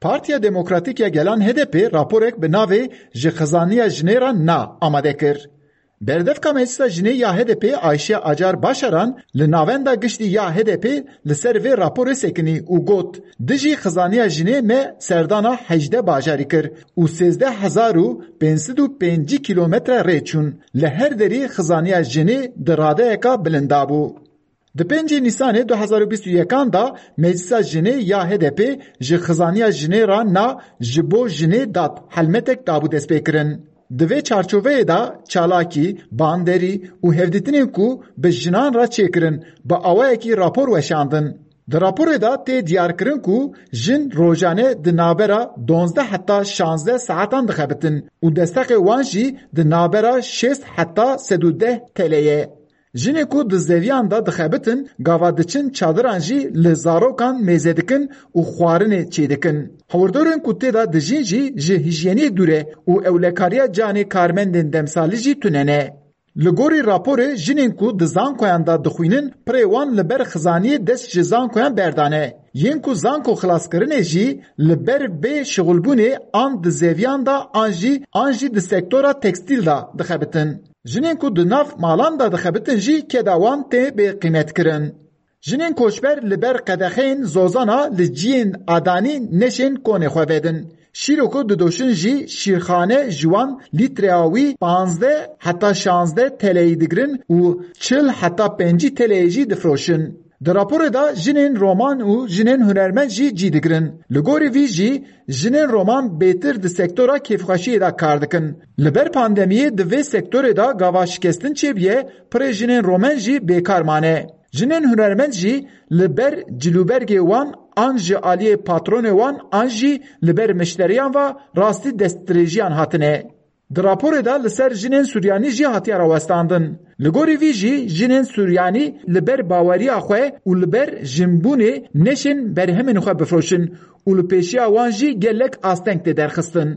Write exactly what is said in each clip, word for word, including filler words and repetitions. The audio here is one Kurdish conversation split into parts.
Partiya Demokratîk ya Gelan H D P raporek bi navê Ji Xizaniya Jinê Re Na amade kir. Berdevka Meclisa Jinê ya H D P Ayşe Acar Başaran li Navenda Giştî ya H D P li ser vê raporê sekinî û got, Dijî xizaniya jinê me serdana hejdeh bajarî kir û sêzdeh hezar û pênc sed û pêncî kîlometre rê çûn. Li her derî xizaniya jinê di radeyeka bilind de bû. Di pêncê Nîsanê du hezar û bîst û yekan de Meclisa Jinê ya H D P ji xizaniya jinê re Na Ji Bo Jinê Dat helmetek dabû destpêkirin. Di vê çarçoveyê de çalakî, banderî û hevdîtinên ku bi jinan re çêkirin, bi awayekî rapor weşandin. Di raporê de tê diyarkirin ku jin rojane di navbera duwazdeh heta şazdeh saetan dixebitin û desteqê wan jî di navbera şêst heta sed û deh T L ye. Jinên ku di zeviyan de dixebitin, gava diçin çadiran jî li zarokan mêze dikin û xwarinê çêdikin. Hawirdorên ku tê de dijîn jî ji hijyeniyê dûr e û ewlekariya canê karmendên demsalî jî tune ne. Li gorî raporê, jinên ku di zankoyan de dixwînin, pirê wan li ber xizaniyê dest ji zankoyan berdane. Yên ku zanko xilaskirinê jî li ber bê şixulbûnê an di zeviyan de an jî an jî di sektora tekstîl de dixebitin. Jinên ku di nav malan de dixebitin jî keda wan tê bê qîmetkirin. Jinên koçber li ber qedexeyên zozana li ciyên adanî neşên konê xwe vedin. Şîro ku didoşin jî şîrxane ji wan lîtreya wî panzdeh heta şazdeh T L'yî digirin û çil heta pêncî T L'yê jî difroşin. Di raporê de jinên roman û jinên hunermend jî cî digirin. Li gorî vî jî jinên roman bêtir di sektora kêfxweşiyê de kar dikin. Li ber pandemiyê di vê sektorê de gava şikestin çêbûye, pirê jinên romen jî bêkar mane. Jinên hunermend jî li ber cilûbergê wan an ji aliyê patronê wan an jî li ber mişteriyan ve rastî destdirêjiyan hatine. Di raporê de li ser jinên Suryanî jî hatiye rawestandin. Li gorî vî jî jinên Suryanî li ber baweriya xwe û li ber jinbûnê neşên berhemên xwe bifroşin û li pêşiya wan jî gelek asteng tê derxistin.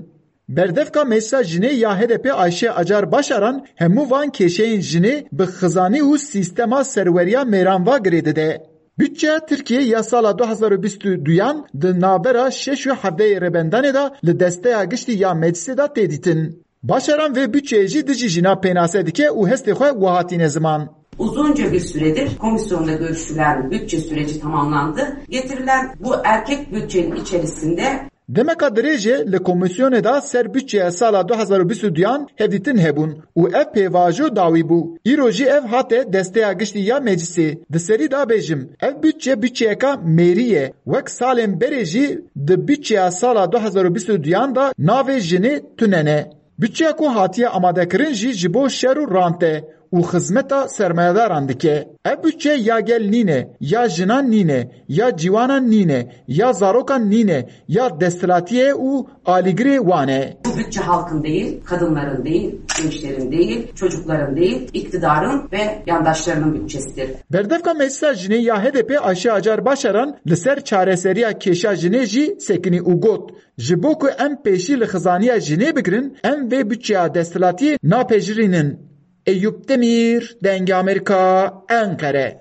Berdevka Meclisa Jinê ya H D P Ayşe Acar Başaran hemû van kêşeyên jinê bi xizanî û sîstema serweriya mêran ve girê dide. Budçeya Tirkiyê ya sala du hezar û bîst û duyan di navbera şeş û hevdehê rêbendanê de li desteya giştî ya Meclisê de tê dîtin. Başaran vê budçeyê jî dijî jina pênase dike û hestê xwe wiha tîne ziman. Uzunca bir süredir komisyonda görüşülen bütçe süreci tamamlandı. Getirilen bu erkek bütçenin içerisinde Demeka dirêj e li komîsyonê de ser budçeya sala du hezar û bîst û duyan hevdîtin hebûn û ev pêvajo dawî bû. Îro jî ev hate desteya giştî ya Meclisê. Di serî de bêjim, ev budçe budçeyeka mêrî ye. Wek salên berê jî di budçeya sala du hezar û bîst û duyan de navê jinê tune ne. Budçeya ku hatiye amadekirin jî ji bo şer û rant e û xizmeta sermayedaran dike. Ev budçe ya gel nîne, ya jinan nîne, ya ciwanan nîne, ya zarokan nîne, ya desthilatiyê û alîgirê wan e. Bu bütçe halkın değil, kadınların değil, gençlerin değil, çocukların değil, iktidarın ve yandaşlarının bütçesidir. Berdevka Meclisa Jinê ya H D P Ayşe Acar Başaran li ser çareseriya kêşa jinê jî sekinî û got, Ji bo ku em pêşî li xizaniya jinê bigirin, em vê budçeya desthilatiyê napejirînin. Eyûp Demîr, Dengê Amerîka, Enqere.